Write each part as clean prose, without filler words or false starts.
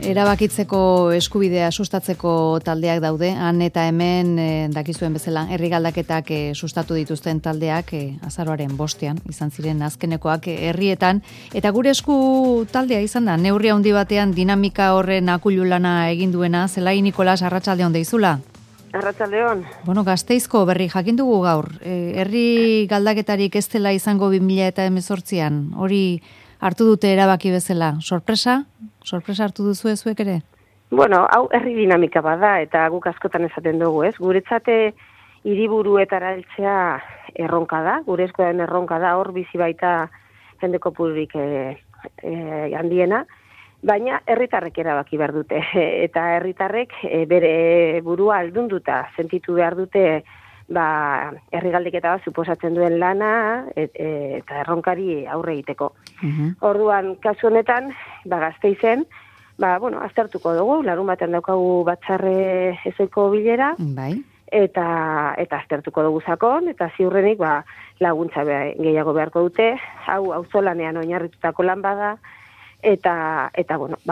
Erabakitzeko eskubidea sustatzeko taldeak daude, han eta hemen dakizuen bezala, herri galdaketak sustatu dituzten taldeak azaroaren 5ean, izan ziren azkenekoak herrietan, eta gure esku taldea izan da, neurri handi batean dinamika horren akulu lana egin duena, Zelai Nikolas, arratsalde on deizula. Arratsaldeon. Bueno, Gasteizko berri jakin dugu gaur, herri galdaketarik ez dela izango 2018an, hori hartu dute erabaki bezala, sorpresa hartu duzu zuek ere? Bueno, hau herri dinamika bada eta guk askotan esaten dugu, ez? Guretzate hiriburuetara heltzea erronka da, gure eskuaren erronka da, hor bizi baita jende kopururik handiena, baina herritarrek erabaki behar dute eta herritarrek bere burua aldunduta sentitu behar dute herri galdeketa bat suposatzen duen lana eta erronkari aurre egiteko. Orduan, kasu honetan, Gasteizen, aztertuko dugu, larun batean daukagu batzarre ezoiko bilera, eta aztertuko dugu sakon, eta ziurrenik laguntza gehiago beharko dute, hau auzolanean oinarritutako lan bada, eta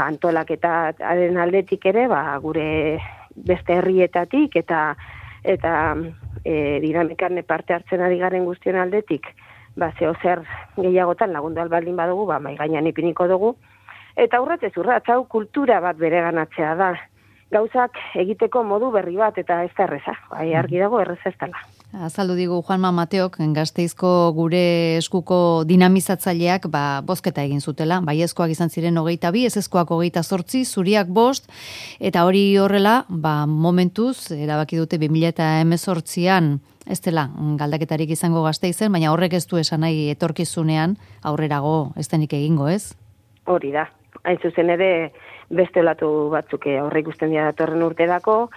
antolaketaren aldetik ere, gure beste herrietatik, eta dinamikan parte hartzen ari garen guztion aldetik, zer gehiagotan lagundu albaldin badugu, mai gainean ipiniko dugu. Eta urratez, hau kultura bat bereganatzea da. Gauzak egiteko modu berri bat, eta ez da erreza. Argi dago erreza ez dela. Azaldu digu Juanma Mateok, Gasteizko gure eskuko dinamizatzaileak bozketa egin zutela. Baiezkoak izan ziren 22, ezezkoak 28, zuriak 5, eta hori horrela, momentuz, erabaki dute 2018an, ez dela galdaketarik izango Gasteizen, baina horrek ez du esan nahi etorkizunean aurrerago ez denik egingo, ez? Hori da. Hain zuzen ere beste olatu batzuk aurre ikusten dira datorren urterako,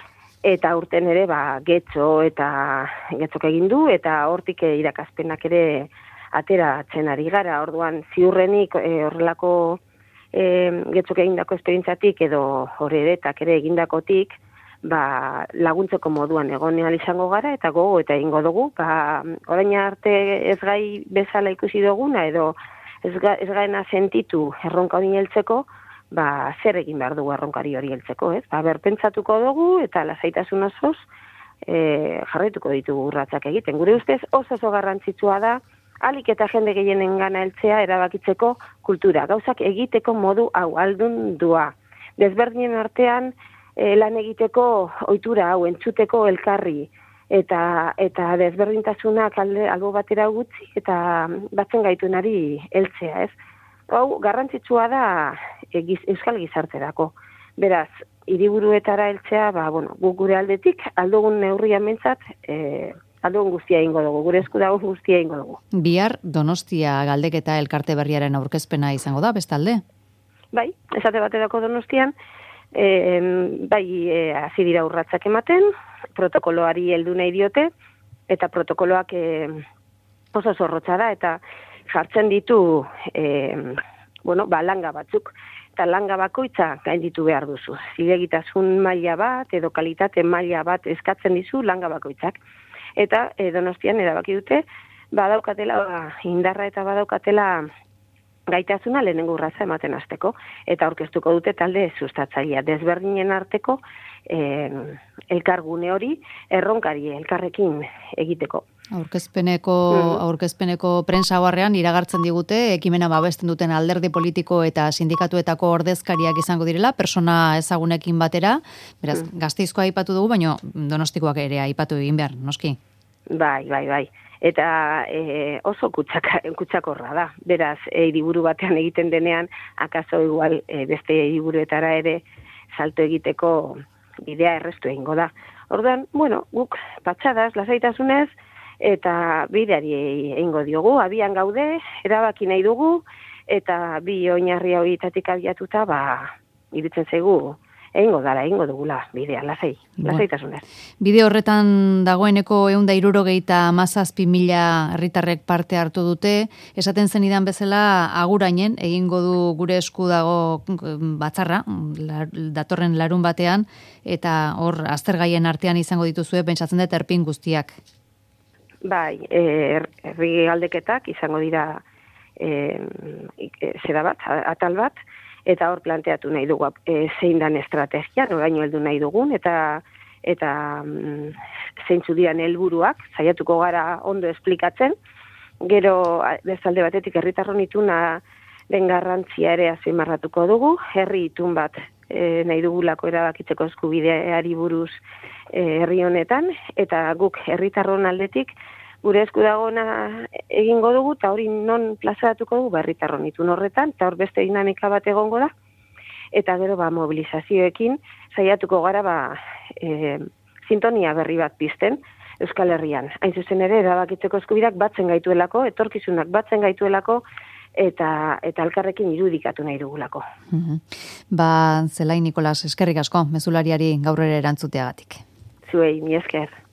eta urten ere getzok egin du, eta hortik irakaspenak ere ateratzen ari gara. Orduan ziurrenik horrelako getzok egindako esperientzatik edo horretak ere egindakotik, laguntzeko moduan egonean izango gara, eta gogo eta egingo dugu, orain arte ez gai bezala ikusi duguna, edo ez gaena sentitu erronka hori heltzeko, zer egin behar dugu erronkari hori heltzeko, ez? Berpentsatuko dugu, eta lasaitasun osoz jarraituko ditugu urratsak egiten. Gure ustez oso garrantzitsua da, alik eta jende gehienen gana heltzea erabakitzeko kultura, gauzak egiteko modu hau aldundua. Desberdinen artean lan egiteko ohitura hau entzuteko elkarri, eta desberdintasunak albo batera gutxi, eta batzen gaituenari heltzea, ez? Hau garrantzitsua da euskal gizarterako. Beraz, hiriburuetara heltzea, guk gure aldetik, aldogun neurrian mentzat, aldogun guztia egingo dugu, gure esku dago guztia egingo dugu. Bihar Donostia galdeketa elkarte berriaren aurkezpena izango da, bestalde? Bai, esate baterako Donostian, hasi dira urratsak ematen, protokoloari heldu nahi diote, eta protokoloak oso zorrotza da, eta jartzen ditu langa batzuk, eta langa bakoitza gainditu behar duzu. Zilegitasun maila bat, edo kalitate maila bat eskatzen dizu langa bakoitzak. Eta Donostian erabaki dute, badaukatela indarra eta badaukatela gaitasuna lehenengo urratsa ematen hasteko, eta aurkeztuko dute talde sustatzailea desberdinen arteko elkargune hori erronkari elkarrekin egiteko. Aurkezpeneko prensa barrean iragartzen digute, ekimena babesten duten alderdi politiko eta sindikatuetako ordezkariak izango direla, persona ezagunekin batera, beraz, Gasteizkoa aipatu dugu, baina Donostikoak ere aipatu egin behar, noski? Bai. Eta oso kutsakorra da. Beraz, hiriburu batean egiten denean, akaso igual beste hiriburuetara ere salto egiteko bidea errestu egingo da. Orduan, guk patxadas, lasaitasunez, eta bideari egingo diogu, abian gaude, erabaki nahi dugu, eta bi oinarri horietatik abiatuta, iruditzen zaigu, egingo dugula bidea, lasaitasunez. Bide horretan dagoeneko 167.000 herritarrek parte hartu dute, esaten zenidan bezala agurainen egingo du gure esku dago batzarra, datorren larun batean, eta hor aztergaien artean izango dituzue, pentsatzen dut erpin guztiak. Bai, herri galdeketak izango dira atal bat, eta hor planteatu nahi dugu zein dan estrategia, noraino heldu nahi dugun, eta zeintzu diren helburuak, saiatuko gara ondo esplikatzen. Gero, bezalde batetik, herritarron ituna den garrantzia ere azpimarratuko dugu, herri itun bat nahi dugulako erabakitzeko eskubideari buruz herri honetan, eta guk herritarron aldetik gure esku dagoena egingo dugu, eta hori non plazaratuko dugu, herritarron itun horretan, eta hor beste dinamika bat egongo da, eta gero mobilizazioekin saiatuko gara sintonia berri bat pizten Euskal Herrian. Hain zuzen ere, erabakitzeko eskubideak batzen gaituelako, etorkizunak batzen gaituelako, eta elkarrekin irudikatu nahi dugulako. Zelai Nikolas, eskerrik asko, mezulariari gaur ere erantzuteagatik. Zuei, mi esker.